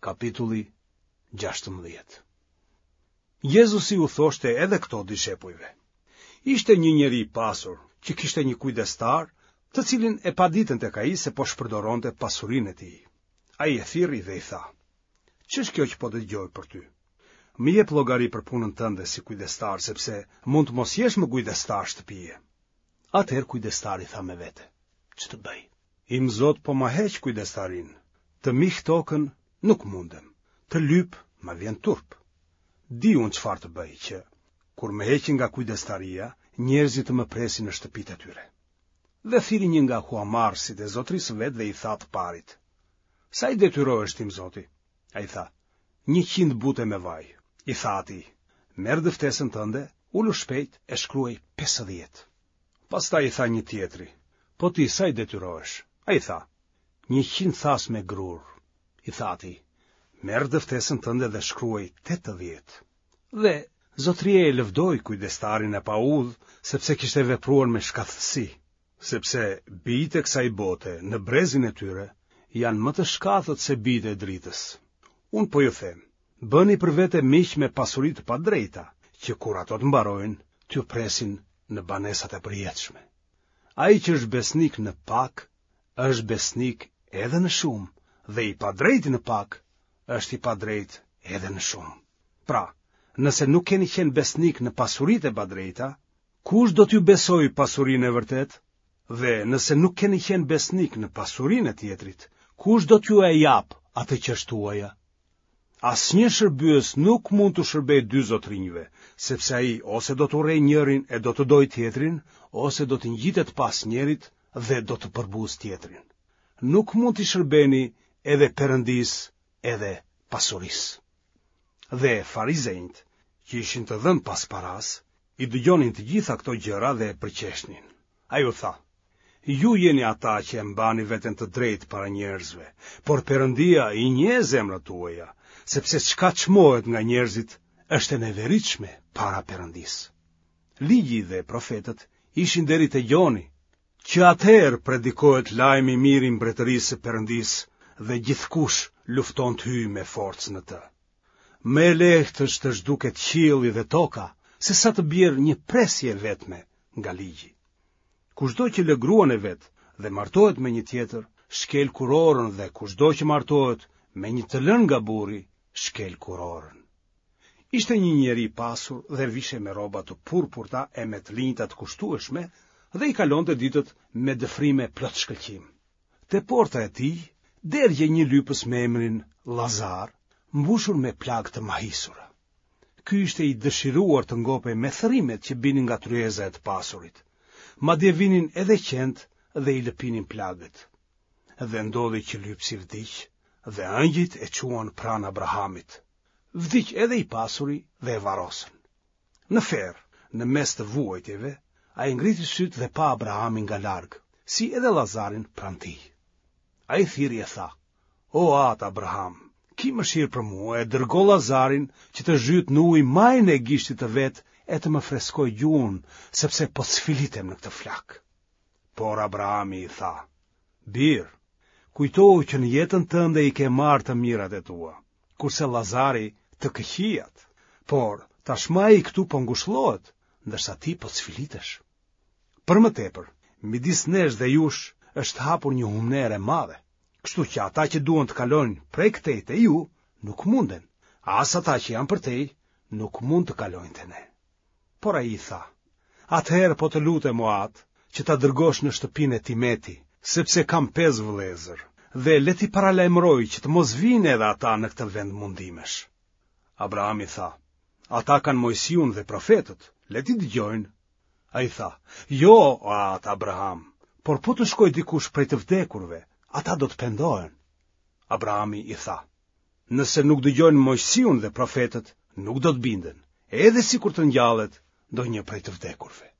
Kapitulli 16. Jezusi u thoshte edhe këto dishepujve. Ishte një njeri i pasur që kishte një kujdestar, të cilin e paditën tek ai se po shpërdoronte pasurinë e tij. Ai e thirri dhe i tha: Ç'është kjo që po dëgjoj për ty? Më jep llogari për punën tënde si kujdestar, sepse mund të mos jesh më kujdestar shtëpie. Atëherë kujdestari tha me vete: Ç'të bëj? Im zot po ma heq kujdestarinë, të mih tokën nuk mundem, të lyp më vjen turp. Di unë çfarë të bëj që, kur më heqin nga kujdestaria, njerëzit të më presin në shtëpitë e tyre. Dhe thirri një nga huamarrësit e zotërisë së vet dhe i tha të parit: Sa i detyrohesh tim zoti? Ai tha: 100 bute me vaj. I tha atij: Merr dëftesën tënde, ulu shpejt e shkruaj 50. Pastaj i tha një tjetri, po ti sa i detyrohesh? Ai tha, 100 thasë me grurë. I tha atij, merr dëftesën tënde dhe shkruaj 80. Dhe zotëria e lëvdoi kujdestarin e paudhë, sepse kishte vepruar me shkathtësi, sepse bijtë e kësaj bote në brezin e tyre janë më të shkathët se bijtë e dritës. Unë po ju them, Bëni për vete miq me pasuri të padrejta, që kur ato të mbarojnë, t'ju presin në banesat e përjetshme. Ai që është besnik në pak, është besnik edhe në shumë, dhe i padrejti në pak, është i padrejtë edhe në shumë. Pra, nëse nuk keni qenë besnik në pasuritë e padrejta, kush do t'ju besojë pasurinë e vërtetë? Dhe nëse nuk keni qenë besnik në pasurinë e tjetrit, kush do t'jua japë atë që është tuaja? Asnjë shërbyes nuk mund t'u shërbejë dy zotërinjve, sepse ai ose do të urrejë njërin e do të dojë tjetrin, ose do t'i ngjitet pas njërit dhe do të përbuzë tjetrin. Nuk mund t'i shërbeni edhe Perëndisë edhe pasurisë. Dhe farizenjtë, që ishin të dhënë pas parasë, i dëgjonin të gjitha këto gjëra dhe e përqeshnin. Ai u tha, Ju jeni ata që e mbani veten të drejtë para njerëzve, por Perëndia i njeh zemrat tuaja, sepse çka çmohet nga njerëzit është e neveritshme para Perëndisë. Ligji dhe profetët ishin deri te Gjoni, që atëherë predikohet lajmi i mirë i mbretërisë së Perëndisë dhe gjithkush lufton të hyjë me forcë në të. Më e lehtë është të zhduket qielli dhe toka, sesa të bjerë një presje e vetme nga ligji. Kushdo që lë gruan e vet dhe martohet me një tjetër, shkel kurorën dhe kushdo që martohet me një të lënë nga burri, shkel kurorën. Ishte një njeri i pasur dhe vishej me rroba të purpurta e me të linjta të kushtueshme dhe i kalonte ditët me dëfrime plot shkëlqim. Te porta e tij dergjej një lypës me emrin Lazar, mbushur me plagë të mahisura. Ky ishte i dëshiruar të ngopej me thërrimet që binin nga tryeza e të pasurit. Madje vinin edhe qentë dhe i lëpinin plagët. Dhe ndodhi që lypësi vdiq dhe engjëjt e çuan pranë Abrahamit. Vdiq edhe i pasuri dhe e varrosën. Në ferr, në mes të vuajtjeve, ai ngriti sytë dhe pa Abrahamin nga larg, si edhe Lazarin pranë tij. Ai thirri e tha: O atë Abraham, ki mëshirë për mua e dërgo Lazarin që të zhytë në ujë majën e gishtit të vet e të më freskojë gjuhën, sepse po cfilitem në këtë flakë. Por Abrahami i tha: Bir, kujtohu që në jetën tënde i ke marrë të mirat e tua, kurse Lazari të këqijat. Por, tashmë ai këtu po ngushëllohet, ndërsa ti po cfilitesh. Për më tepër, midis nesh dhe jush është hapur një humnerë e madhe, kështu që ata që duan të kalojnë prej këtej te ju, nuk munden, as ata që janë përtej, nuk mund të kalojnë te ne. Por ai i tha, atëherë po të lutem o atë, që ta dërgosh në shtëpinë e tim eti, sepse kam pesë vëllezër, dhe le t'i paralajmërojë që të mos vijnë edhe ata në këtë vend mundimesh. Abrahami tha, ata kanë Moisiun dhe profetët, le t'i dëgjojnë. Ai tha, jo, o atë Abraham, por po të shkojë dikush prej të vdekurve, ata do të pendohen. Abrahami i tha, Nëse nuk dëgjojnë Moisiun dhe profetët, nuk do të binden, edhe sikur të ngjallet ndonjë prej të vdekurve.